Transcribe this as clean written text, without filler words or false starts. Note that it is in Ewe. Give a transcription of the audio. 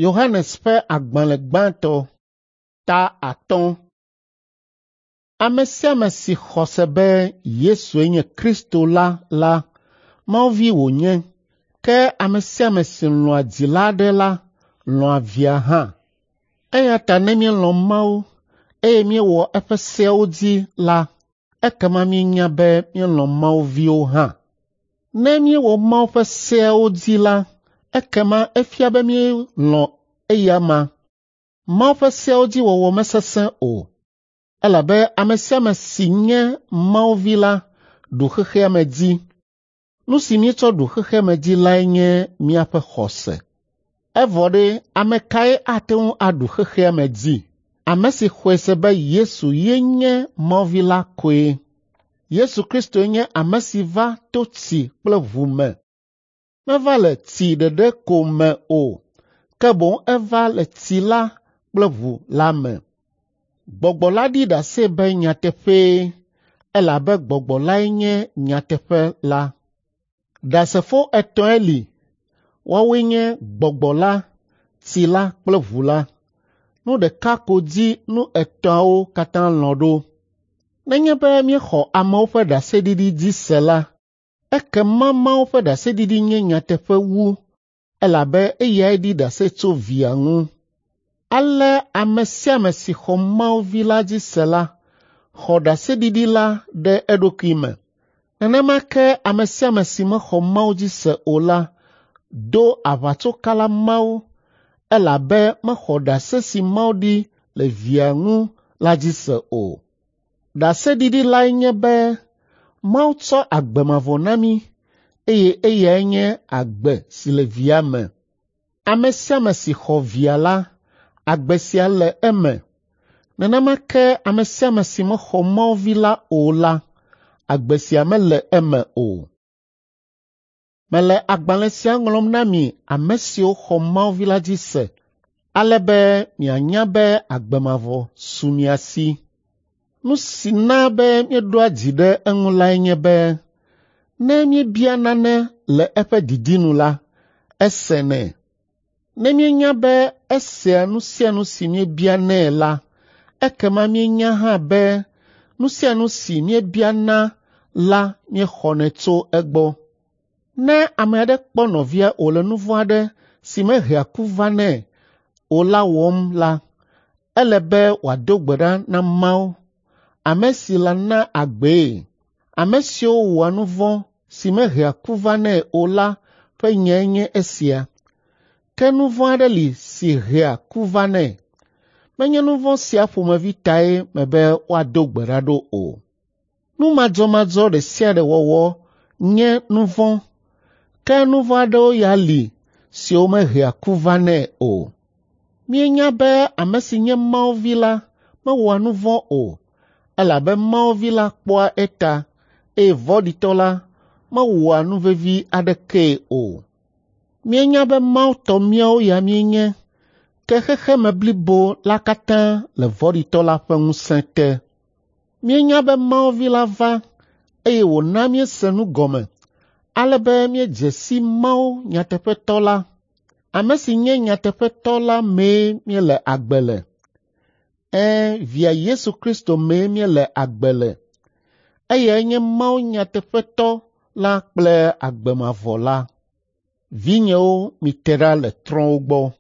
Yohanes ƒe agbalẽ gbãtɔ ta 5. Ame sia ame si xɔ se be Yesue nye Kristo la la, Mawu vi wònye. Ke ame sia ame si lɔ̃a dzila aɖe la, lɔ̃a via hã. Eya ta ne míelɔ̃ Mawu eye míewɔ eƒe seawo dzi la, ekema míenya be míelɔ̃ Mawu viwo hã. Ne míewɔ Mawu ƒe seawo dzi la, ekema efia be míelɔ̃ eya amea. Mawu ƒe seawo dzi wɔwɔ mesesẽ o, elabe ame sia ame si nye Mawu vi la ɖu xexea me dzi. Nu si míetsɔ ɖu xexea me dzi lae nye míaƒe xɔse. Evɔ ɖe, ame kae ate ŋu aɖu xexea me dzi? Ame si xɔe se be Yesu ye nye Mawu vi la koe. Yesu Kristoe nye ame si va to tsi kple ʋu me. Meva le tsi ɖeɖe ko me o, ke boŋ eva le tsi la kple ʋu la me. Gbɔgbɔ la ɖi ɖase be nyateƒee, elabe Gbɔgbɔ lae nye nyateƒe la. Ɖasefo etɔ̃e li, woawoe nye Gbɔgbɔ la, tsi la kple ʋu la. Nu ɖeka ko dzi nu etɔ̃awo katã lɔ̃ ɖo. Nenye be míexɔ amewo ƒe ɖaseɖiɖi dzi se la, ekema Mawu ƒe ɖaseɖiɖi nye nyateƒe wu, elabe eyae ɖi ɖase tso Via ŋu. Ale ame sia ame si xɔ Mawu Vi la dzi se la, xɔ ɖaseɖiɖi la ɖe eɖokui me. Nenema ke ame sia ame si mexɔ Mawu dzi se o la do aʋatsokala Mawu elabe mexɔ ɖase si Mawu ɖi le Via ŋu la dzi se o. Ɖaseɖiɖi lae nye be Mawu tsɔ agbe mavɔ na mí eye eyae nye agbe si le Via me. Ame sia ame si xɔ Via la, agbe sia le eme. Nenema ke ame sia ame si mexɔ Mawu Vi la o la, agbe sia mele eme o. Mele agbalẽ sia ŋlɔm na mi ame siwo xɔ Mawu Vi la dzi se, ale be mianya be agbe mavɔ su mia si. Nu si na be míeɖoa dzi ɖe eŋu lae nye be ne míebia nane le eƒe didi nu la, esenɛ. Ne míenya be esea nu sia nu si míebianɛ la, ekema míenya hã be nu sia nu si míebiana la míexɔnɛ tso egbɔ. Ne ame aɖe kpɔ nɔvia wòle nu vɔ̃ aɖe si mehea ku vanɛ o la wɔm la, ele be wòado gbe ɖa na Mawu, ame si lana agbee. Ame siwo wɔa nu vɔ̃ si mehea ku vanɛ o la ƒe nyae nye esia. Ke nu vɔ̃ aɖe li si hea ku vanɛ. Menye nu vɔ̃ sia ƒomevi tae mebe woado gbe ɖa ɖo o. Nu madzɔmadzɔ ɖe sia ɖe wɔwɔ nye nu vɔ̃, ke nu vɔ̃ aɖewo ya li siwo mehea ku vanɛ o. Míenya be ame si nye Mawu vi la mewɔa nu vɔ̃ o, elabe Mawu vi la kpɔa eta eye vɔ̃ɖitɔ la mewɔa nu vevi aɖekee o. Míenya be Mawu tɔ míawo ya míenye, ke xexeme blibo la katã le vɔ̃ɖitɔ la ƒe ŋusẽ te. Míenya be Mawu Vi la va eye wòna míese nu gɔme ale be míedze si Mawu nyateƒetɔ la. Ame si nye nyateƒetɔ la mee míele agbe le. Ɛ̃, Via Yesu Kristo mee míele agbe le. Eyae nye Mawu nyateƒetɔ la kple agbe mavɔ la. Vinyewo, mite ɖa le trɔ̃wo gbɔ.